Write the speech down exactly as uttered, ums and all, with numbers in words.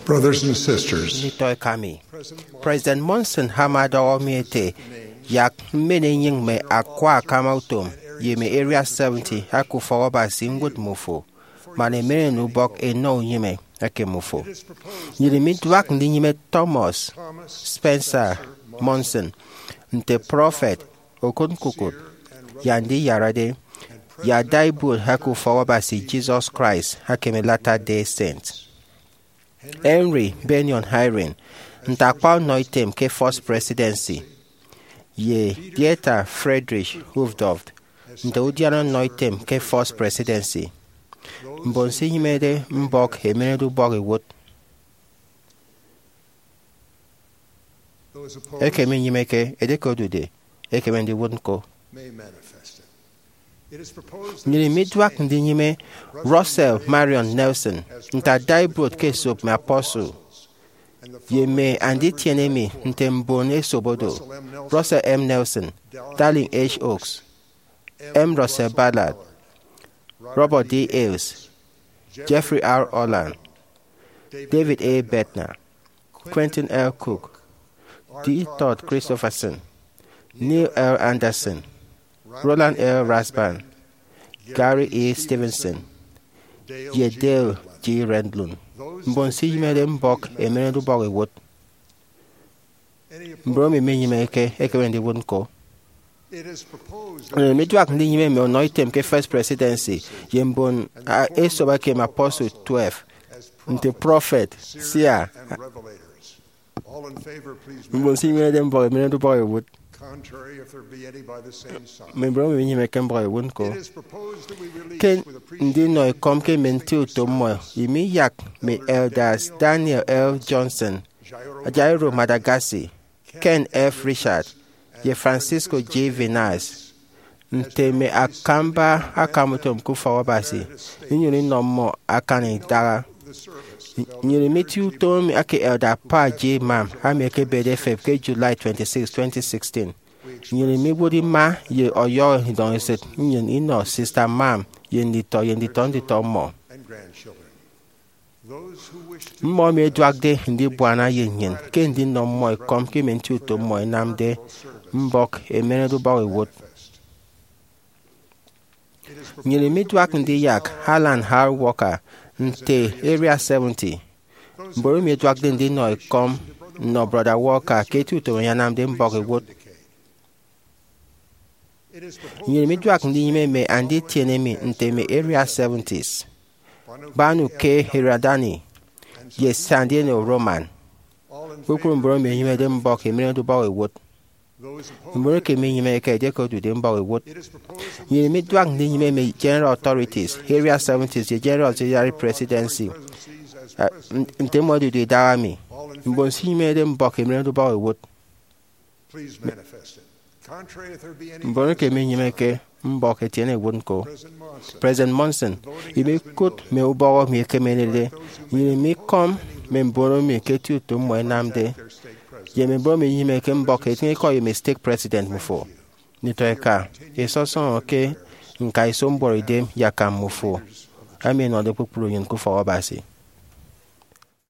Brothers and sisters, Nditọ eka mi, President Monson ama ọdọhọ mi ete, yak mmen enyịñ mme akwa akama utom ye mme Area seventy aka Ufọk Abasi ñwụt mmufo, man emeren ubọk enọ unyịme eke mmufo. Nnyịn miduak ndinyịme Thomas Spencer Monson nte prọfet, okụt ñkukụt, ye andiyarade, ye adaibuot aka Ufọk Abasi Jesus Christ aka mme Latter-day Saint. Henry Bennion Eyring nte akpa ọnọitem ke First Presidency, ye Dieter Friedrich Uchtdorf nte udiana ọnọitem ke First Presidency. Mbon se inyịmede mbọk emenedeubọk iwụt. Eke minyịmeke, edieke odude, ekeme ndiwụt ñko. Nnyịn miduak ndinyịme Russell Marion Nelson nte adaibuot ke esop mme apostle, ye mme anditiene emi nte mbon esop odo: Russell M. Nelson, Dallin H. Oaks, M. Russell Ballard, Robert D. Hales, Jeffrey R. Holland, David A. Bednar, Quentin L. Cook, D. Todd Christofferson, Neil L. Andersen, Roland L. Rasband, Gary E. Stevenson, ye Dale G. Renlund, mbon se inyịmede mbọk emenedeubọk iwụt. Mbon emi minyịmeke ekeme ndiwụt ñko. Nnyịn miduak ndinyịme mme ọnọitem ke First Presidency ye mbon esop eke mme apostle twelve nte prọfet, seer, mbon se inyịmede mbọk emenedeubọk iwụt, mme mbon emi minyịmeke mbọk iwụt ñko. Ke ndinọ ekọm ke mme nti utom mmọ, emi yak mme elders Daniel L. Johnson, Jairo Madagasi, Ken F. Richard, ye Francisco G. Vinales nte mme akamba akamutom ke Ufọk Abasi, inyụñ inọ mmọ akan idaha. Nnyịn mitie utom eke Elder Paul G. Mam, ami ekebede efep ke July twenty-six, twenty sixteen. Nnyịn miwot ima ye ọyọhọ idọñesịt nnyịn inọ Sister Mam ye nditọ ye nditọ nditọ mmọ. Mmọ emi ẹduakde ndibuana ye nnyịn ke ndinọ mmọ ekọm ke mme nti utom mmọ ẹnamde mbọk emenedeubọk iwụt. Nnyịn miduak ndiyak Alan R. Walker nte Area seventy, mbon emi ẹduakde ndinọ ekọm nnọ Brọda Walker ke eti utom emi anamde mbọk iwụt. Nnyịn miduak ndinyịme mme anditiene emi nte mme Area seventies: Banu K. Hiradani ye Sandino Roman, kpukpru mbon emi ẹnyịmede mbọk emenedeubọk iwụt. Mbon eke minyịmeke, edieke odude, mbọk iwụt. Nnyịn miduak ndinyịme mme General Authorities, Area seventies, ye General Auxiliary Presidency, eh, n-, nte mmọ ẹdude idaha mi, mbon se inyịmede mbọk emenedeubọk iwụt. Mbon eke minyịmeke, mbọk etiene iwụt ñko. President Monson, imikụt mme ubọhọ mi ẹkemenede, nnyịn mikọm mme mbon emi ke eti utom mmọ ẹnamde, ye mme mbon emi minyịmeke mbọk etịñ ikọ ye mme stake president mmifo. Nditọ eka, isọsọñọ ke ñka iso mbuọtidem ye akam mmifo, emi ẹnọde kpukpru nnyịn ke Ufọk Abasi.